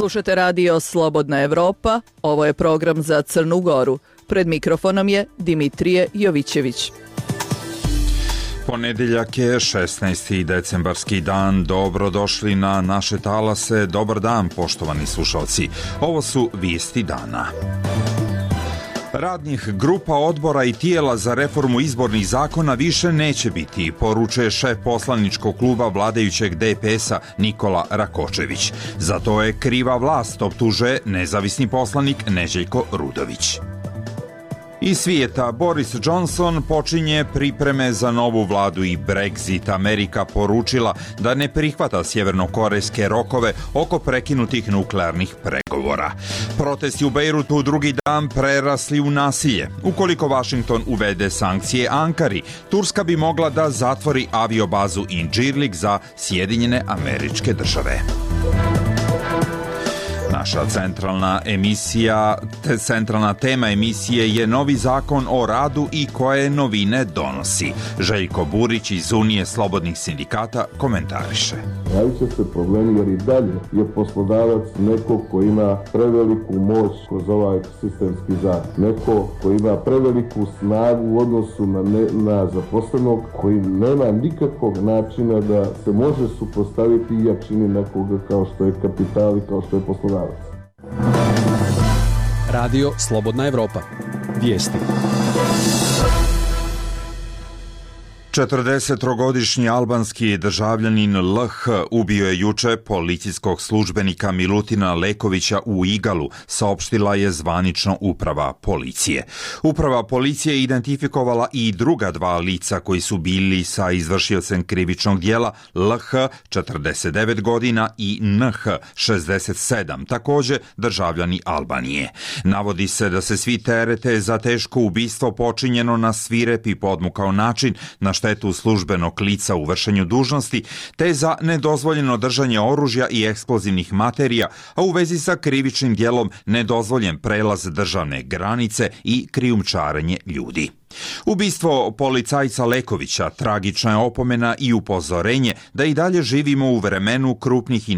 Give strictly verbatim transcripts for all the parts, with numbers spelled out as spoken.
Slušate radio Slobodna Evropa, ovo je program za Crnu Goru. Pred mikrofonom je Dimitrije Jovićević. Ponedeljak je šesnaesti decembarski dan, dobrodošli na naše talase, dobar dan poštovani slušalci. Ovo su vijesti dana. Radnih grupa, odbora i tijela za reformu izbornih zakona više neće biti, poručuje šef poslaničkog kluba vladajućeg D P S-a Nikola Rakočević. Za to je kriva vlast, optužuje nezavisni poslanik Neželjko Rudović. Iz svijeta, Boris Johnson počinje pripreme za novu vladu i Brexit. Amerika poručila da ne prihvata sjevernokorejske rokove oko prekinutih nuklearnih pregovora. Protesti u Bejrutu drugi dan prerasli u nasilje. Ukoliko Washington uvede sankcije Ankari, Turska bi mogla da zatvori aviobazu Incirlik za Sjedinjene Američke Države. Naša centralna emisija, te centralna tema emisije je novi zakon o radu i koje novine donosi. Željko Burić iz Unije slobodnih sindikata komentariše. Javit će se problemi jer i dalje je poslodavac neko ko ima preveliku moć kroz ovaj sistemski zakon. Neko ko ima preveliku snagu u odnosu na, ne, na zaposlenog, koji nema nikakvog načina da se može suprotstaviti jačini nekoga kao što je kapital i kao što je poslodavac. Radio Slobodna Evropa. Vijesti. četrdesettrogodišnji albanski državljanin L H ubio je juče policijskog službenika Milutina Lekovića u Igalu, saopštila je zvanično uprava policije. Uprava policije identifikovala i druga dva lica koji su bili sa izvršiocem krivičnog dijela, L H četrdeset devet godina i N H šezdeset sedam, također državljani Albanije. Navodi se da se svi terete za teško ubistvo počinjeno na svirep i podmukao način, na štetu službenog lica u vršenju dužnosti, te za nedozvoljeno držanje oružja i eksplozivnih materija, a u vezi sa krivičnim djelom nedozvoljen prelaz državne granice i krijumčarenje ljudi. Ubistvo policajca Lekovića tragična je opomena i upozorenje da i dalje živimo u vremenu krupnih i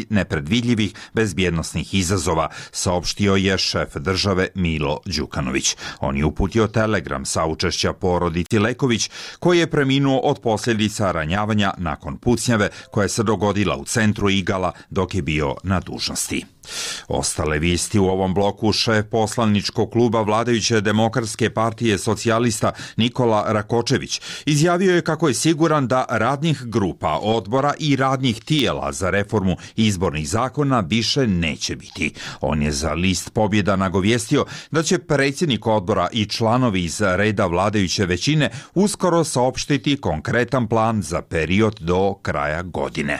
nepredvidljivih bezbjednosnih izazova, saopštio je šef države Milo Đukanović. On je uputio telegram saučešća porodici Leković, koji je preminuo od posljedica ranjavanja nakon pucnjave koja se dogodila u centru Igala dok je bio na dužnosti. Ostale vijesti u ovom bloku. Šef poslaničkog kluba vladajuće Demokratske partije socijalista Nikola Rakočević izjavio je kako je siguran da radnih grupa, odbora i radnih tijela za reformu izbornih zakona više neće biti. On je za list Pobjeda nagovijestio da će predsjednik odbora i članovi iz reda vladajuće većine uskoro saopštiti konkretan plan za period do kraja godine.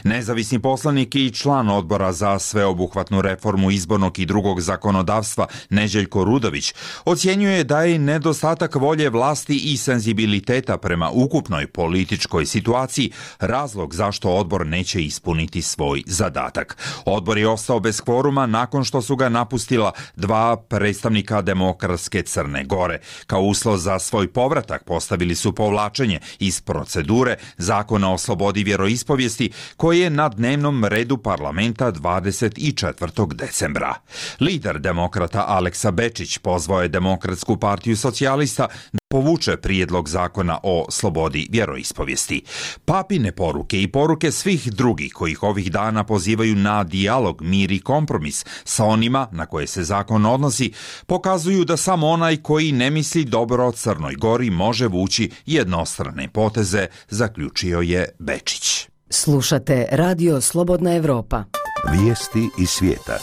Nezavisni poslanik i član odbora za sveobuhvatnu reformu izbornog i drugog zakonodavstva Neželjko Rudović ocjenjuje da je nedostatak volje vlasti i senzibiliteta prema ukupnoj političkoj situaciji razlog zašto odbor neće ispuniti svoj zadatak. Odbor je ostao bez kvoruma nakon što su ga napustila dva predstavnika Demokratske Crne Gore. Kao uslov za svoj povratak postavili su povlačenje iz procedure Zakona o slobodi vjeroispovijesti koji je na dnevnom redu parlamenta dvadeset četvrtog decembra. Lider demokrata Aleksa Bečić pozvao je Demokratsku partiju socijalista da povuče prijedlog zakona o slobodi vjeroispovijesti. Papine poruke i poruke svih drugih kojih ovih dana pozivaju na dijalog, mir i kompromis sa onima na koje se zakon odnosi, pokazuju da samo onaj koji ne misli dobro Crnoj Gori može vući jednostrane poteze, zaključio je Bečić. Slušate Radio Slobodna Evropa. Vijesti iz svijeta.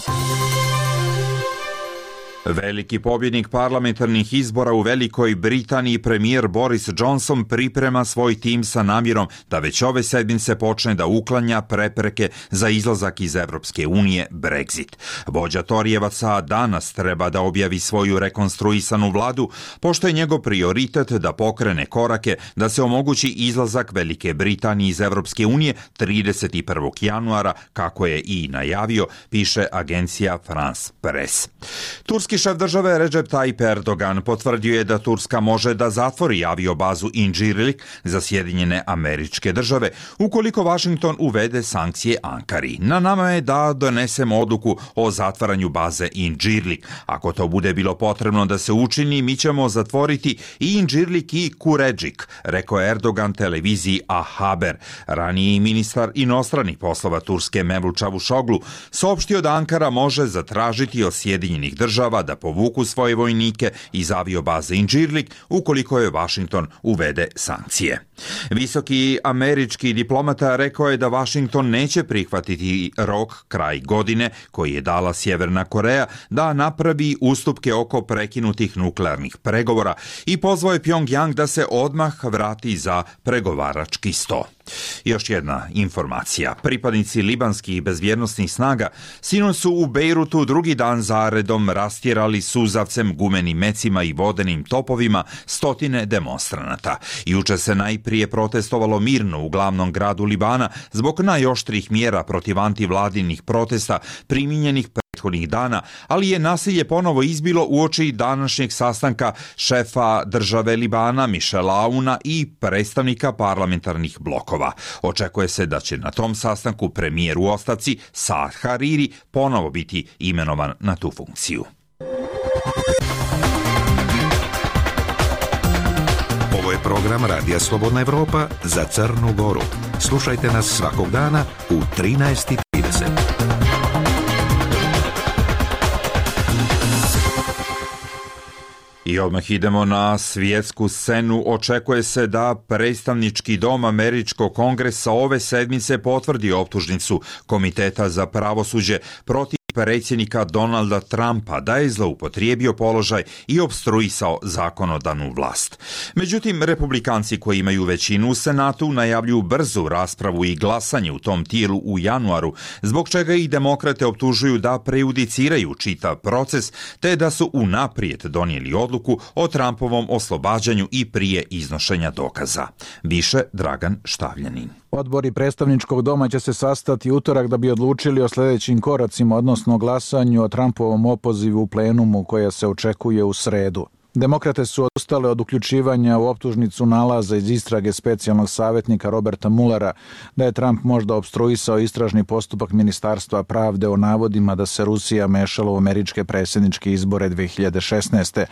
Veliki pobjednik parlamentarnih izbora u Velikoj Britaniji, premijer Boris Johnson priprema svoj tim sa namjerom da već ove sedmice počne da uklanja prepreke za izlazak iz Evropske unije, Brexit. Vođa Torijevaca danas treba da objavi svoju rekonstruisanu vladu, pošto je njegov prioritet da pokrene korake da se omogući izlazak Velike Britanije iz Evropske unije trideset prvog januara, kako je i najavio, piše agencija France Press. Turski Turski šef države Recep Tayyip Erdogan potvrdio je da Turska može da zatvori aviobazu Incirlik za Sjedinjene Američke Države ukoliko Washington uvede sankcije Ankari. Na nama je da donesemo odluku o zatvaranju baze Incirlik. Ako to bude bilo potrebno da se učini, mi ćemo zatvoriti i Incirlik i Kuredžik, rekao Erdogan televiziji A Haber. Raniji ministar inostranih poslova Turske Mevlut Čavuşoglu saopštio da Ankara može zatražiti od Sjedinjenih država da povuku svoje vojnike iz aviobaze Incirlik ukoliko je Washington uvede sankcije. Visoki američki diplomata rekao je da Washington neće prihvatiti rok kraj godine koji je dala Sjeverna Koreja da napravi ustupke oko prekinutih nuklearnih pregovora i pozvao je Pyongyang da se odmah vrati za pregovarački sto. Još jedna informacija. Pripadnici libanskih bezbjednosnih snaga sinoć su u Bejrutu drugi dan zaredom rastjerali suzavcem, gumenim mecima i vodenim topovima stotine demonstranata. Juče se najprije protestovalo mirno u glavnom gradu Libana zbog najoštrih mjera protiv antivladinih protesta primijenjenih prethodnih dana, ali je nasilje ponovo izbilo uoči današnjeg sastanka šefa države Libana Michela Aouna i predstavnika parlamentarnih blokova. Očekuje se da će na tom sastanku premijer u ostavci Saad Hariri ponovo biti imenovan na tu funkciju. Ovo je program Radija Slobodna Evropa za Crnu Goru. Slušajte nas svakog dana u trinaest i trideset. I odmah idemo na svjetsku scenu. Očekuje se da predstavnički dom Američkog kongresa ove sedmice potvrdi optužnicu Komiteta za pravosuđe protiv predsjednika Donalda Trumpa da je zloupotrijebio položaj i opstruisao zakonodavnu vlast. Međutim, republikanci koji imaju većinu u Senatu najavljuju brzu raspravu i glasanje u tom tijelu u januaru, zbog čega i demokrate optužuju da prejudiciraju čitav proces te da su unaprijed donijeli odluku o Trumpovom oslobađanju i prije iznošenja dokaza. Više Dragan Štavljanin. Odbori predstavničkog doma će se sastati utorak da bi odlučili o sljedećim koracima, odnosno glasanju o Trumpovom opozivu u plenumu koja se očekuje u sredu. Demokrate su odustale od uključivanja u optužnicu nalaza iz istrage specijalnog savjetnika Roberta Muellera da je Trump možda opstruisao istražni postupak Ministarstva pravde o navodima da se Rusija mešala u američke predsjedničke izbore dvije hiljade šesnaeste.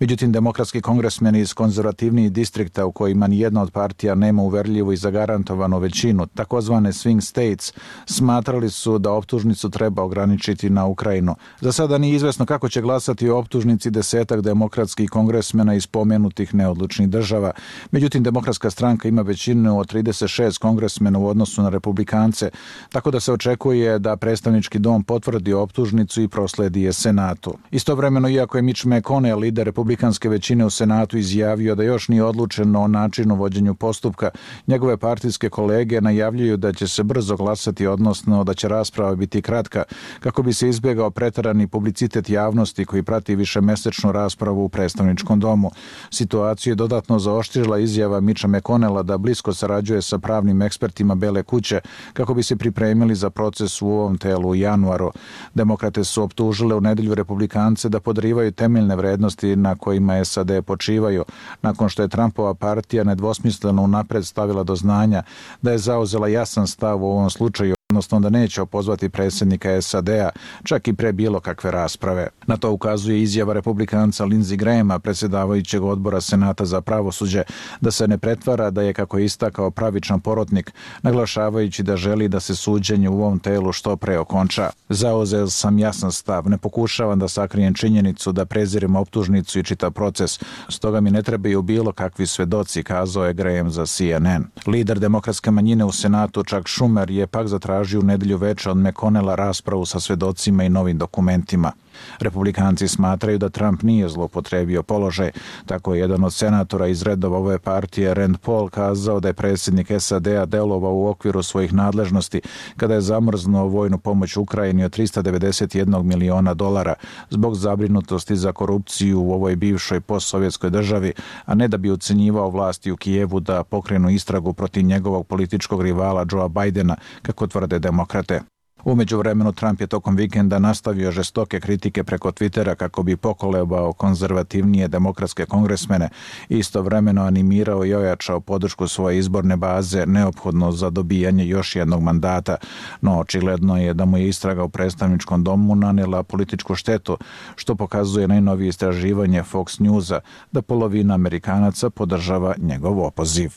Međutim, demokratski kongresmeni iz konzervativnijih distrikta u kojima nijedna od partija nema uverljivu i zagarantovanu većinu, takozvane swing states, smatrali su da optužnicu treba ograničiti na Ukrajinu. Za sada nije izvesno kako će glasati o optužnici desetak demokratskih kongresmena iz pomenutih neodlučnih država. Međutim, demokratska stranka ima većinu od trideset šest kongresmena u odnosu na republikance, tako da se očekuje da predstavnički dom potvrdi optužnicu i prosledi je Senatu. Istovremeno, iako je Mitch McConnell, lider republikanske većine u Senatu, izjavio da još nije odlučeno o načinu vođenju postupka, njegove partijske kolege najavljuju da će se brzo glasati, odnosno da će rasprava biti kratka, kako bi se izbjegao preterani publicitet javnosti koji prati višemesečnu raspravu u predstavničkom domu. Situaciju je dodatno zaoštrila izjava Mitcha McConnella da blisko sarađuje sa pravnim ekspertima Bele kuće kako bi se pripremili za proces u ovom telu u januaru. Demokrate su optužile u nedjelju republikance da podrivaju temeljne vrednosti na kojima S A D počivaju, nakon što je Trumpova partija nedvosmisleno unapred stavila do znanja da je zauzela jasan stav u ovom slučaju, odnosno da neće opozvati predsjednika S A D-a, čak i pre bilo kakve rasprave. Na to ukazuje izjava republikanca Lindsey Grahama, predsjedavajućeg odbora Senata za pravosuđe, da se ne pretvara da je, kako je istakao, pravičan porotnik, naglašavajući da želi da se suđenje u ovom telu što pre okonča. Zauzeo sam jasan stav, ne pokušavam da sakrijem činjenicu da prezirem optužnicu i čitav proces, stoga mi ne trebaju bilo kakvi svedoci, kazao je Graham za C N N. Lider demokratske manjine u Senatu Chuck Schumer je pak zatražio u nedjelju veče od McConnella raspravu sa svedocima i novim dokumentima. Republikanci smatraju da Trump nije zloupotrijebio položaj. Tako je jedan od senatora iz redova ove partije, Rand Paul, kazao da je predsjednik S A D-a delovao u okviru svojih nadležnosti kada je zamrznuo vojnu pomoć Ukrajini od trista devedeset jedan miliona dolara zbog zabrinutosti za korupciju u ovoj bivšoj postsovjetskoj državi, a ne da bi ucenjivao vlasti u Kijevu da pokrenu istragu protiv njegovog političkog rivala Joea Bidena, kako tvrde demokrate. U međuvremenu Trump je tokom vikenda nastavio žestoke kritike preko Twittera kako bi pokolebao konzervativnije demokratske kongresmene i istovremeno animirao i ojačao podršku svoje izborne baze neophodno za dobijanje još jednog mandata, no očigledno je da mu je istraga u predstavničkom domu nanijela političku štetu, što pokazuje najnovije istraživanje Fox Newsa da polovina Amerikanaca podržava njegov opoziv.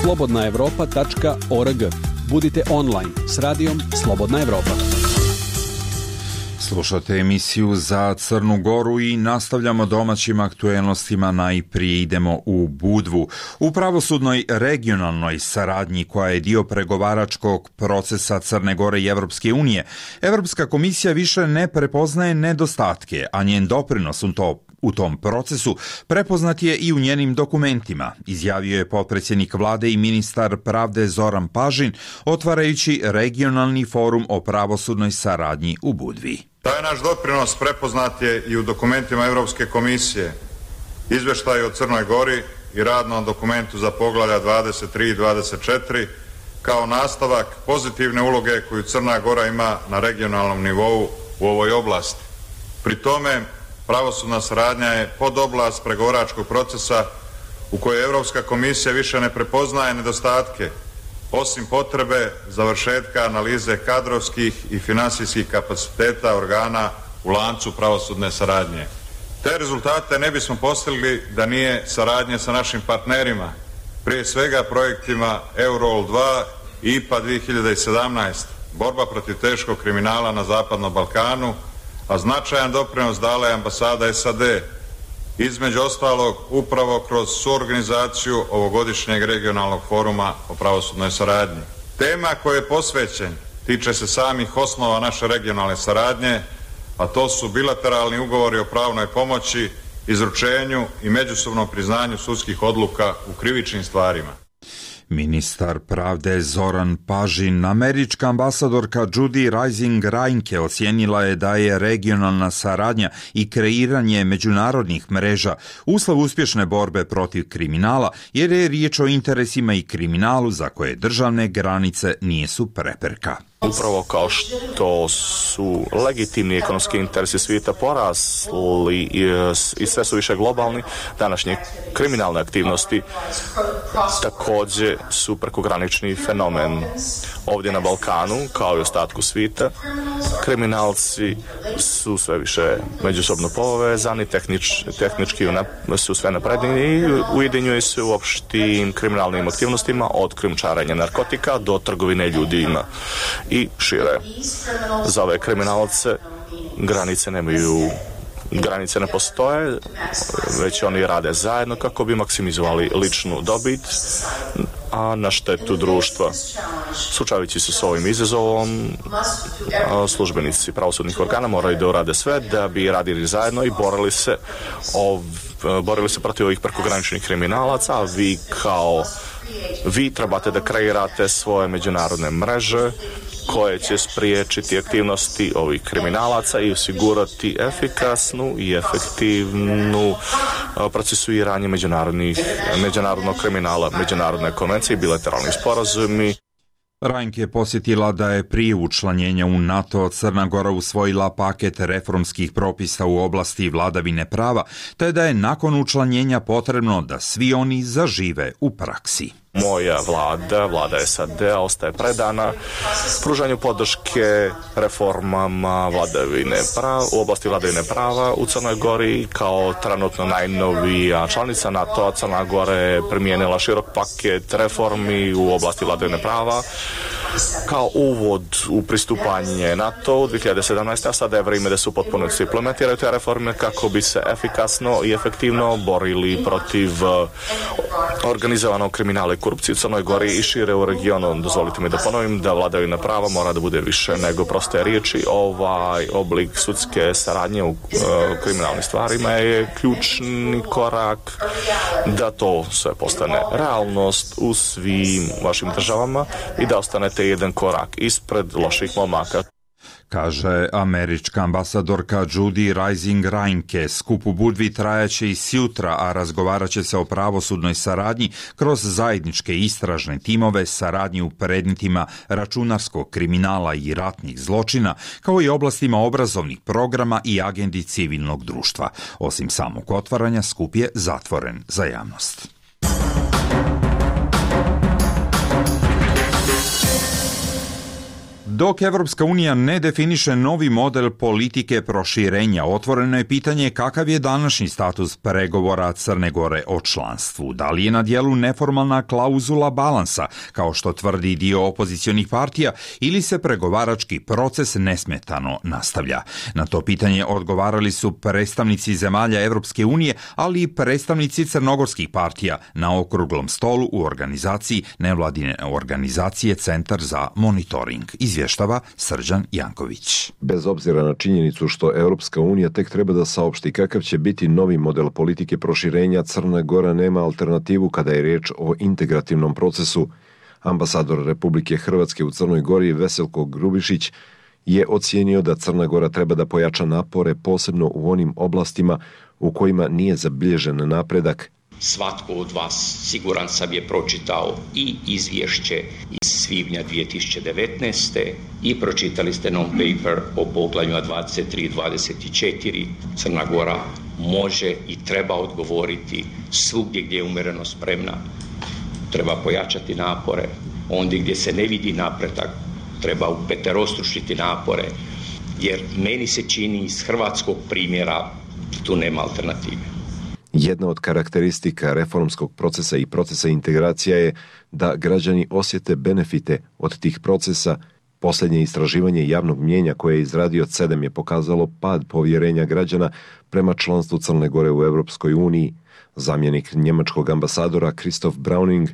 slobodna evropa tačka org. Budite online s radijom Slobodna Evropa. Slušate emisiju za Crnu Goru i nastavljamo domaćim aktuelnostima. Najprije idemo u Budvu. U pravosudnoj regionalnoj saradnji koja je dio pregovaračkog procesa Crne Gore i Evropske unije, Evropska komisija više ne prepoznaje nedostatke, a njen doprinos u to U tom procesu prepoznat je i u njenim dokumentima, izjavio je potpredsjednik vlade i ministar pravde Zoran Pažin, otvarajući regionalni forum o pravosudnoj saradnji u Budvi. Taj naš doprinos prepoznat je i u dokumentima Europske komisije, izvještaju o Crnoj Gori i radnom dokumentu za poglavlja dvadeset tri i dvadeset četiri, kao nastavak pozitivne uloge koju Crna Gora ima na regionalnom nivou u ovoj oblasti. Pri tome, pravosudna saradnja je podoblast pregovaračkog procesa u kojoj Europska komisija više ne prepoznaje nedostatke, osim potrebe završetka analize kadrovskih i finansijskih kapaciteta organa u lancu pravosudne saradnje. Te rezultate ne bismo postigli da nije saradnje sa našim partnerima, prije svega projektima Eurol dva i I P A dvije hiljade sedamnaest, borba protiv teškog kriminala na Zapadnom Balkanu, a značajan doprinos dala je ambasada S A D, između ostalog upravo kroz suorganizaciju ovogodišnjeg regionalnog foruma o pravosudnoj saradnji. Tema koja je posvećen tiče se samih osnova naše regionalne saradnje, a to su bilateralni ugovori o pravnoj pomoći, izručenju i međusobnom priznanju sudskih odluka u krivičnim stvarima. Ministar pravde Zoran Pažin, američka ambasadorka Judy Rising Reinke ocijenila je da je regionalna saradnja i kreiranje međunarodnih mreža uslov uspješne borbe protiv kriminala, jer je riječ o interesima i kriminalu za koje državne granice nisu prepreka. Upravo kao što su legitimni ekonomski interesi svijeta porasli i sve su više globalni, današnje kriminalne aktivnosti također su prekogranični fenomen. Ovdje na Balkanu, kao i ostatku svijeta, kriminalci su sve više međusobno povezani, tehnič, tehnički su sve napredniji i ujedinjuju se u opštim kriminalnim aktivnostima, od krijumčarenja narkotika do trgovine ljudima i šire. Za ove kriminalce granice nemaju, granice ne postoje, već oni rade zajedno kako bi maksimizovali ličnu dobit, a na štetu društva. Suočavajući se s ovim izazovom, službenici pravosudnih organa moraju da urade sve da bi radili zajedno i borili se, ov, borili se protiv ovih prekograničnih kriminalaca, a vi kao vi trebate da kreirate svoje međunarodne mreže koje će spriječiti aktivnosti ovih kriminalaca i osigurati efikasnu i efektivnu procesuiranje međunarodnih, međunarodnog kriminala, međunarodne konvencije i bilateralnih sporazumi. Reinke je posjetila da je prije učlanjenja u NATO Crna Gora usvojila paket reformskih propisa u oblasti vladavine prava, te da je nakon učlanjenja potrebno da svi oni zažive u praksi. Moja vlada, vlada S A D-a, ostaje predana pružanju podrške reformama vladavine prava, u oblasti vladavine prava u Crnoj Gori. Kao trenutno najnovija članica NATO, Crna Gora je primijenila širok paket reformi u oblasti vladavine prava kao uvod u pristupanje NATO u dvije hiljade sedamnaeste. a sada je vrijeme da se u potpunosti implementiraju te reforme kako bi se efikasno i efektivno borili protiv organizovanog kriminala i korupcije u Crnoj Gori i šire u regionu. Dozvolite mi da ponovim da vladavina prava mora da bude više nego proste riječi. Ovaj oblik sudske saradnje u uh, kriminalnim stvarima je ključni korak da to sve postane realnost u svim vašim državama i da ostanete jedan korak ispred loših momaka. kaže američka ambasadorka Judy Rising Reinke. Skup u Budvi trajaće i sjutra, a razgovarat će se o pravosudnoj saradnji kroz zajedničke istražne timove, saradnji u predmetima računarskog kriminala i ratnih zločina, kao i oblastima obrazovnih programa i agendi civilnog društva. Osim samog otvaranja, skup je zatvoren za javnost. Dok Evropska unija ne definiše novi model politike proširenja, otvoreno je pitanje kakav je današnji status pregovora Crne Gore o članstvu. Da li je na dijelu neformalna klauzula balansa, kao što tvrdi dio opozicionih partija, ili se pregovarački proces nesmetano nastavlja? Na to pitanje odgovarali su predstavnici zemalja Evropske unije, ali i predstavnici crnogorskih partija na okruglom stolu u organizaciji nevladine organizacije Centar za monitoring. Izvještava Srđan Janković. Bez obzira na činjenicu što Europska unija tek treba da saopšti kakav će biti novi model politike proširenja, Crna Gora nema alternativu kada je riječ o integrativnom procesu. Ambasador Republike Hrvatske u Crnoj Gori Veselko Grubišić je ocijenio da Crna Gora treba da pojača napore posebno u onim oblastima u kojima nije zabilježen napredak. Svatko od vas, siguran sam, je pročitao i izvješće iz svibnja dvije tisuće devetnaeste i pročitali ste non-paper o poglavljima dvadeset tri i dvadeset četiri. Crna Gora može i treba odgovoriti svugdje gdje je umjereno spremna. Treba pojačati napore. Ondje gdje se ne vidi napredak, treba upeterostručiti napore, jer meni se čini iz hrvatskog primjera tu nema alternative. Jedna od karakteristika reformskog procesa i procesa integracija je da građani osjete benefite od tih procesa. Posljednje istraživanje javnog mnijenja koje je izradio C E D E M je pokazalo pad povjerenja građana prema članstvu Crne Gore u Europskoj uniji. Zamjenik njemačkog ambasadora Christoph Browning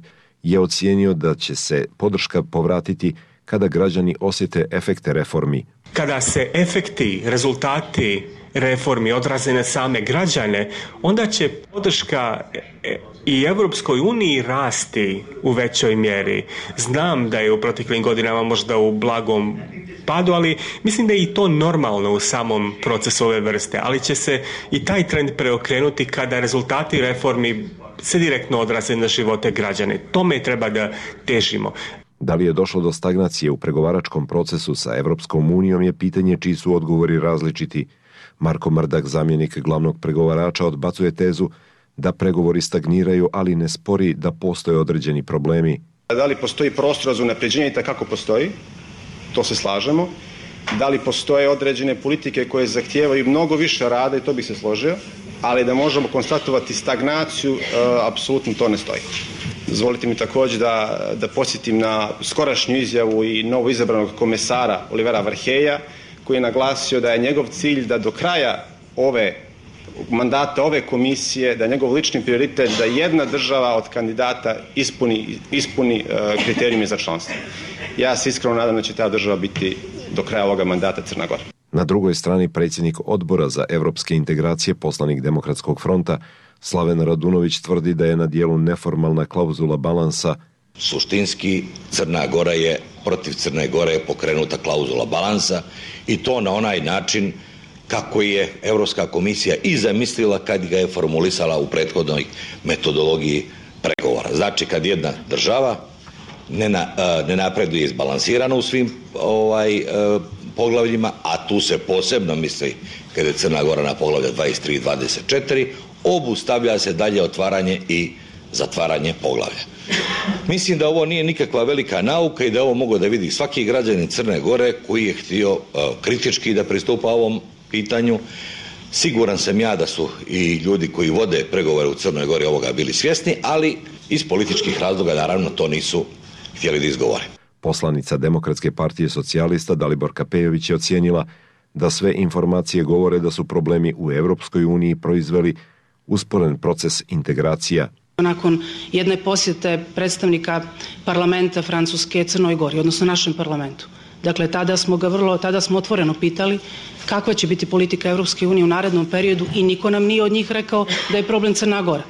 je ocijenio da će se podrška povratiti kada građani osjete efekte reformi. Kada se efekti, rezultati reformi odraze na same građane, onda će podrška i Europskoj uniji rasti u većoj mjeri. Znam da je u proteklim godinama možda u blagom padu, ali mislim da je i to normalno u samom procesu ove vrste, ali će se i taj trend preokrenuti kada rezultati reformi se direktno odraze na živote građane. Tome treba da težimo. Da li je došlo do stagnacije u pregovaračkom procesu sa Evropskom unijom je pitanje čiji su odgovori različiti. Marko Mrdak, zamjenik glavnog pregovarača, odbacuje tezu da pregovori stagniraju, ali ne spori da postoje određeni problemi. Da li postoji prostor za unapređenje? Kako postoji? To se slažemo. Da li postoje određene politike koje zahtijevaju mnogo više rada, i to bih se složio, ali da možemo konstatovati stagnaciju, e, apsolutno to ne stoji. Dozvolite mi također da, da podsjetim na skorašnju izjavu i novo izabranog komesara Olivera Varheja, koji je naglasio da je njegov cilj da do kraja ove mandata ove komisije, da je njegov lični prioritet da jedna država od kandidata ispuni, ispuni uh, kriterijume za članstvo. Ja se iskreno nadam da će ta država biti do kraja ovoga mandata Crna Gora. Na drugoj strani predsjednik odbora za evropske integracije, poslanik Demokratskog fronta Slaven Radunović tvrdi da je na dijelu neformalna klauzula balansa. Suštinski Crna Gora je, protiv Crne Gore je pokrenuta klauzula balansa i to na onaj način kako je Europska komisija i zamislila kad ga je formulisala u prethodnoj metodologiji pregovora. Znači kad jedna država ne, na, ne napreduje izbalansirano u svim ovaj, poglavljima, a tu se posebno misli kada je Crna Gora na poglavlja dvadeset tri i dvadeset četiri, obustavlja se dalje otvaranje i zatvaranje poglavlja. Mislim da ovo nije nikakva velika nauka i da ovo mogu da vidi svaki građanin Crne Gore koji je htio uh, kritički da pristupa ovom pitanju. Siguran sam ja da su i ljudi koji vode pregovore u Crnoj Gori ovoga bili svjesni, ali iz političkih razloga naravno to nisu htjeli da izgovore. Poslanica Demokratske partije socijalista Daliborka Pejović je ocijenila da sve informacije govore da su problemi u Europskoj uniji proizveli usporen proces integracija. Nakon jedne posjete predstavnika parlamenta Francuske Crnoj Gori, odnosno našem parlamentu. Dakle, tada smo ga vrlo, tada smo otvoreno pitali kakva će biti politika Europske unije u narednom periodu i niko nam nije od njih rekao da je problem Crna Gora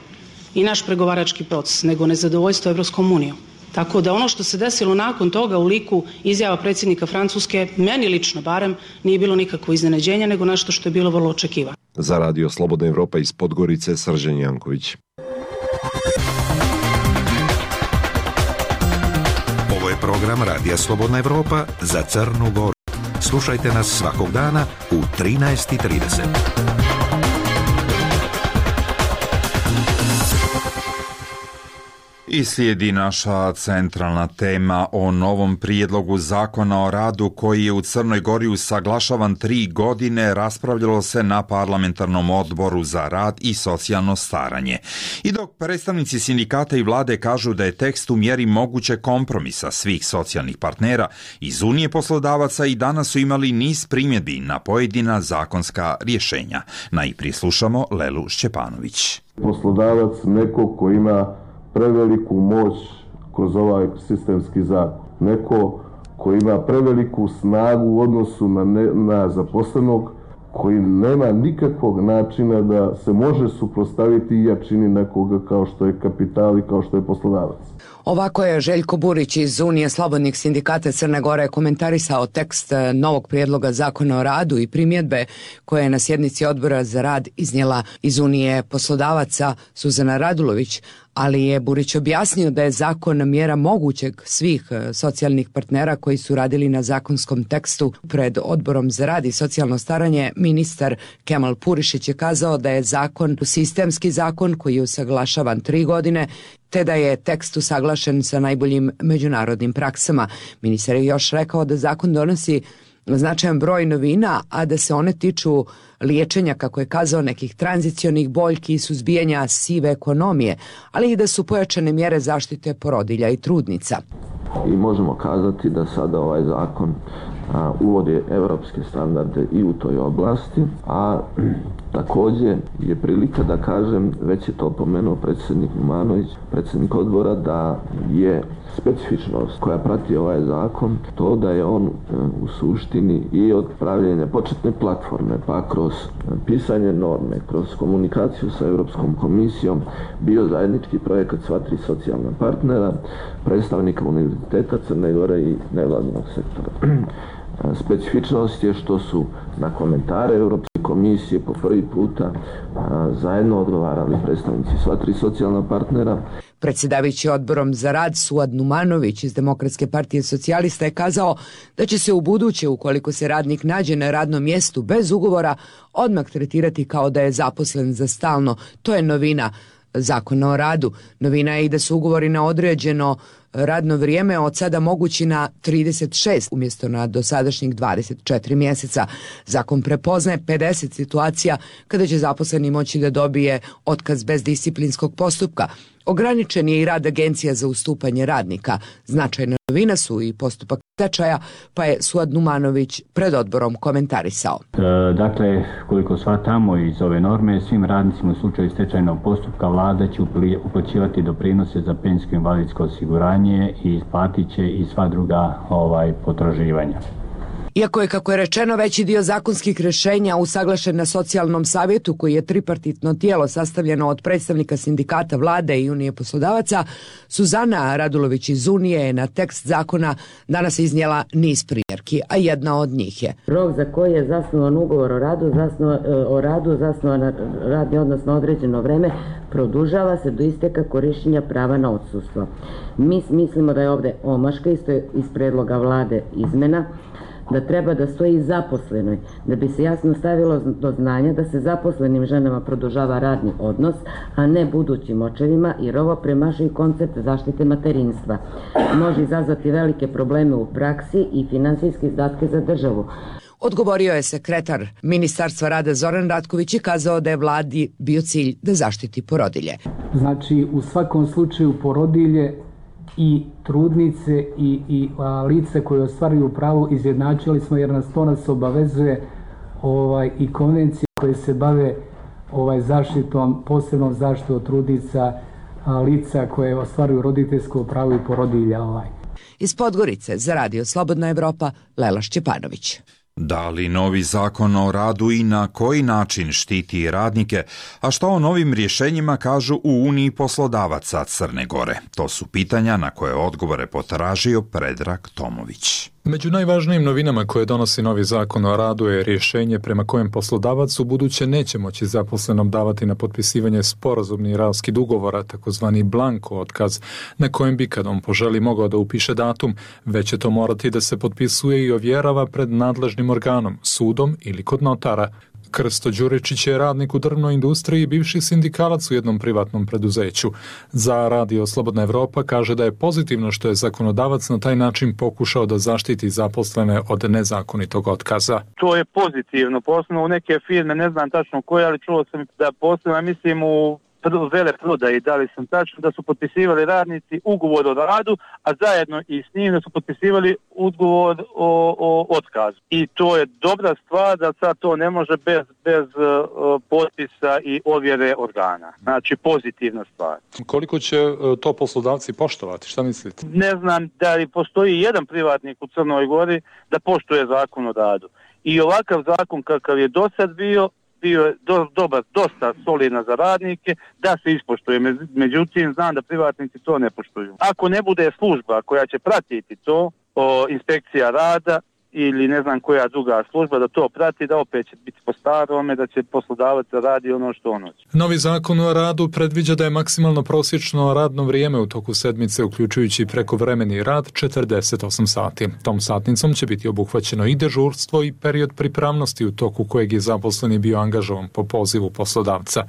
i naš pregovarački proces, nego nezadovoljstvo Europskom unijom. Tako da ono što se desilo nakon toga u liku izjava predsjednika Francuske, meni lično barem, nije bilo nikakvo iznenađenje, nego nešto što je bilo vrlo očekivano. Za Radio Slobodna Evropa iz Podgorice, Srđan Janković. Ovo je program Radija Slobodna Evropa za Crnu Goru. Slušajte nas svakog dana u trinaest i trideset. I slijedi naša centralna tema o novom prijedlogu zakona o radu koji je u Crnoj Gori usaglašavan tri godine, raspravljalo se na parlamentarnom odboru za rad i socijalno staranje. I dok predstavnici sindikata i vlade kažu da je tekst u mjeri moguće kompromisa svih socijalnih partnera, iz Unije poslodavaca i danas su imali niz primjedbi na pojedina zakonska rješenja. Najprije slušamo Lelu Šćepanović. Poslodavac neko ko ima preveliku moć kroz ovaj sistemski zakon. Neko koji ima preveliku snagu u odnosu na, ne, na zaposlenog, koji nema nikakvog načina da se može suprotstaviti jačini nekoga kao što je kapital i kao što je poslodavac. Ovako je Željko Burić iz Unije slobodnih sindikata Crne Gore komentarisao tekst novog prijedloga zakona o radu i primjedbe koje je na sjednici odbora za rad iznijela iz Unije poslodavaca Suzana Radulović, ali je Burić objasnio da je zakon mjera mogućeg svih socijalnih partnera koji su radili na zakonskom tekstu. Pred odborom za rad i socijalno staranje ministar Kemal Purišić je kazao da je zakon sistemski zakon koji je usaglašavan tri godine, te da je tekst usaglašen sa najboljim međunarodnim praksama. Ministar je još rekao da zakon donosi značajan broj novina, a da se one tiču liječenja, kako je kazao, nekih tranzicionih boljki i suzbijanja sive ekonomije, ali i da su pojačane mjere zaštite porodilja i trudnica. I možemo kazati da sada ovaj zakon a, uvodi evropske standarde i u toj oblasti, a također je prilika da kažem, već je to pomenuo predsjednik Numanović, predsjednik odbora, da je specifičnost koja prati ovaj zakon to da je on u suštini i od pravljenja početne platforme pa kroz pisanje norme, kroz komunikaciju sa Europskom komisijom bio zajednički projekat sva tri socijalna partnera, predstavnika Univerziteta Crne Gore i nevladinog sektora. Specifičnost je što su na komentare Europske komisije po prvi puta a, zajedno odgovarali predstavnici sva tri socijalna partnera. Predsjedavajući odborom za rad Suad Numanović iz Demokratske partije socijalista je kazao da će se u buduće, ukoliko se radnik nađe na radnom mjestu bez ugovora, odmah tretirati kao da je zaposlen za stalno. To je novina Zakona o radu. Novina je i da su ugovori na određeno radno vrijeme od sada mogući na trideset šest umjesto na dosadašnjih dvadeset četiri mjeseca. Zakon prepoznaje pedeset situacija kada će zaposleni moći da dobije otkaz bez disciplinskog postupka. Ograničen je i rad agencija za ustupanje radnika. Značajna novina su i postupak stečaja, pa je Suad Numanović pred odborom komentarisao. E, dakle, koliko shvatamo iz ove norme, svim radnicima u slučaju stečajnog postupka vlada će uplaćivati doprinose za penzijsko invalidsko osiguranje i isplatit će i sva druga ovaj, potraživanja. Iako je, kako je rečeno, veći dio zakonskih rješenja usaglašen na socijalnom savjetu, koji je tripartitno tijelo sastavljeno od predstavnika sindikata, vlade i Unije poslodavaca, Suzana Radulović iz Unije je na tekst zakona danas iznijela niz primjerki, a jedna od njih je: rok za koji je zasnovan ugovor o radu, zasnovan, o radu zasnovan na radni odnos na određeno vreme, produžava se do isteka korištenja prava na odsustvo. Mi mislimo da je ovdje omaška, isto je iz predloga vlade izmena, da treba da stoji zaposlenoj, da bi se jasno stavilo do znanja da se zaposlenim ženama produžava radni odnos, a ne budućim očevima, jer ovo premašuje koncept zaštite materinstva. Može izazvati velike probleme u praksi i finansijske izdatke za državu. Odgovorio je sekretar Ministarstva rada Zoran Ratković i kazao da je vladi bio cilj da zaštiti porodilje. Znači, u svakom slučaju porodilje i trudnice i, i a, lice koje ostvaruju pravo izjednačili smo, jer nas to nas obavezuje ovaj, i konvencije koje se bave ovaj, zaštitom, posebnom zaštitom trudnica, a, lica koje ostvaruju roditeljsko pravo i porodilja. Ovaj. Iz Podgorice za Radio Slobodna Evropa, Lela Šćepanović. Da li novi zakon o radu i na koji način štiti radnike, a što o novim rješenjima kažu u Uniji poslodavaca Crne Gore? To su pitanja na koje odgovore potražio Predrag Tomović. Među najvažnijim novinama koje donosi novi zakon o radu je rješenje prema kojem poslodavac ubuduće neće moći zaposlenom davati na potpisivanje sporazumni raskid ugovora, takozvani blanko otkaz, na kojem bi kad on poželi mogao da upiše datum, već će to morati da se potpisuje i ovjerava pred nadležnim organom, sudom ili kod notara. Krsto Đuričić je radnik u drvnoj industriji i bivši sindikalac u jednom privatnom preduzeću. Za Radio Slobodna Evropa kaže da je pozitivno što je zakonodavac na taj način pokušao da zaštiti zaposlene od nezakonitog otkaza. To je pozitivno, posebno u neke firme, ne znam tačno koje, ali čuo sam da posebno, mislim, u vele prodaji, da li sam tačno, da su potpisivali radnici ugovor o radu, a zajedno i s njim da su potpisivali ugovor o, o otkazu. I to je dobra stvar da sad to ne može bez, bez uh, potpisa i ovjere organa. Znači pozitivna stvar. Koliko će uh, to poslodavci poštovati? Šta mislite? Ne znam da li postoji jedan privatnik u Crnoj Gori da poštuje zakon o radu. I ovakav zakon kakav je do sad bio, bio je do, dobar, dosta solidna za radnike, da se ispoštuje. Međutim, znam da privatnici to ne poštuju. Ako ne bude služba koja će pratiti to, o, inspekcija rada ili ne znam koja druga služba da to prati, da opet će biti po starome, da će poslodavac radi ono što on hoće. Novi zakon o radu predviđa da je maksimalno prosječno radno vrijeme u toku sedmice, uključujući prekovremeni rad, četrdeset osam sati. Tom satnicom će biti obuhvaćeno i dežurstvo i period pripravnosti u toku kojeg je zaposleni bio angažovan po pozivu poslodavca.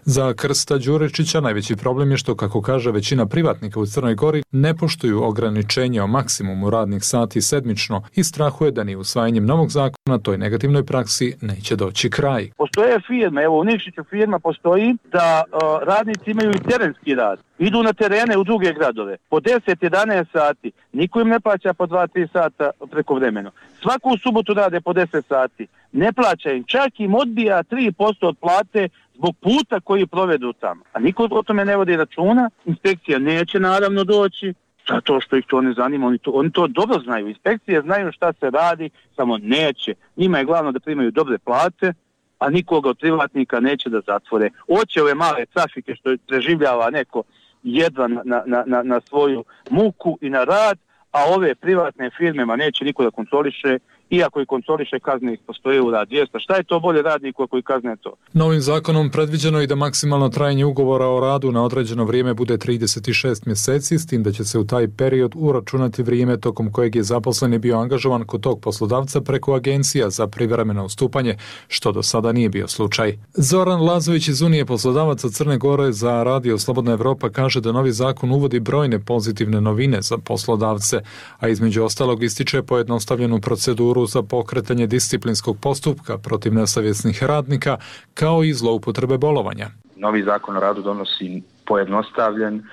Za Krsta Đuričića najveći problem je što, kako kaže većina privatnika u Crnoj Gori, ne poštuju ograničenje o maksimumu radnih sati sedmično i strahuje da ni usvajanjem novog zakona toj negativnoj praksi neće doći kraj. Postoje firme, evo u Nikšiću firma postoji da uh, radnici imaju i terenski rad. Idu na terene u druge gradove. Po deset jedanaest sati. Niko im ne plaća po dva tri sata prekovremeno. Svaku subotu rade po deset sati. Ne plaća im. Čak im odbija tri posto od plate zbog puta koji provedu tamo. A niko o tome ne vodi računa. Inspekcija neće naravno doći. Zato što ih to ne zanima, oni to, oni to dobro znaju. Inspekcije znaju šta se radi, samo neće. Njima je glavno da primaju dobre plate, a nikoga od privatnika neće da zatvore. Oće ove male trafike što preživljava neko jedva na, na, na, na svoju muku i na rad, a ove privatne firme ma neće niko da kontroliše, iako i kontroliše kazne ih postoje u rad dvjesto. Šta je to bolje radniku ako i kazne to? Novim zakonom predviđeno je da maksimalno trajanje ugovora o radu na određeno vrijeme bude trideset šest mjeseci, s tim da će se u taj period uračunati vrijeme tokom kojeg je zaposleni bio angažovan kod tog poslodavca preko agencija za privremeno ustupanje, što do sada nije bio slučaj. Zoran Lazović iz Unije poslodavaca Crne Gore za Radio Slobodna Evropa kaže da novi zakon uvodi brojne pozitivne novine za poslodavce, a između ostalog ističe pojednostavljenu proceduru za pokretanje disciplinskog postupka protiv nesavjesnih radnika, kao i zloupotrebe bolovanja. Novi zakon o radu donosi pojednostavljen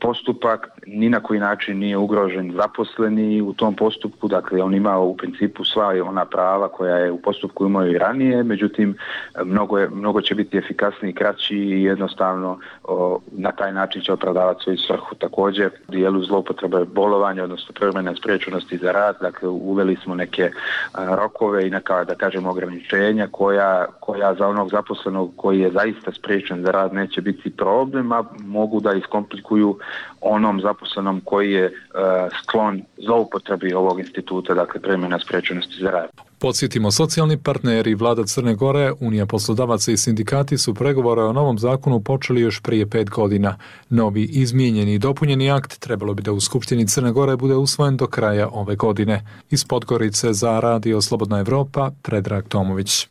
postupak, ni na koji način nije ugrožen zaposleni u tom postupku, dakle on ima u principu sva ona prava koja je u postupku imao i ranije, međutim mnogo, je, mnogo će biti efikasniji, kraći i jednostavno o, na taj način će opravdavati svoju svrhu. Također u dijelu zloupotrebe bolovanja, odnosno privremene spriječenosti za rad, dakle uveli smo neke a, rokove i neka, da kažemo, ograničenja koja, koja za onog zaposlenog koji je zaista spriječen za rad neće biti problem, a mogu da iskomplikuju onom zaposlenom koji je uh, sklon zloupotrebi ovog instituta, dakle privremene spriječenosti za rad. Podsjetimo, socijalni partneri, vlada Crne Gore, Unija poslodavaca i sindikati su pregovore o novom zakonu počeli još prije pet godina. Novi izmijenjeni i dopunjeni akt trebalo bi da u Skupštini Crne Gore bude usvojen do kraja ove godine. Iz Podgorice za Radio Slobodna Evropa, Predrag Tomović.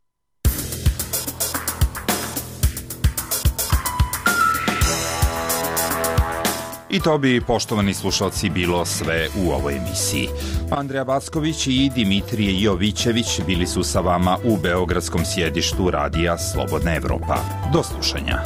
I to bi, poštovani slušalci, bilo sve u ovoj emisiji. Andreja Backović i Dimitrije Jovićević bili su sa vama u beogradskom sjedištu Radija Slobodna Evropa. Do slušanja.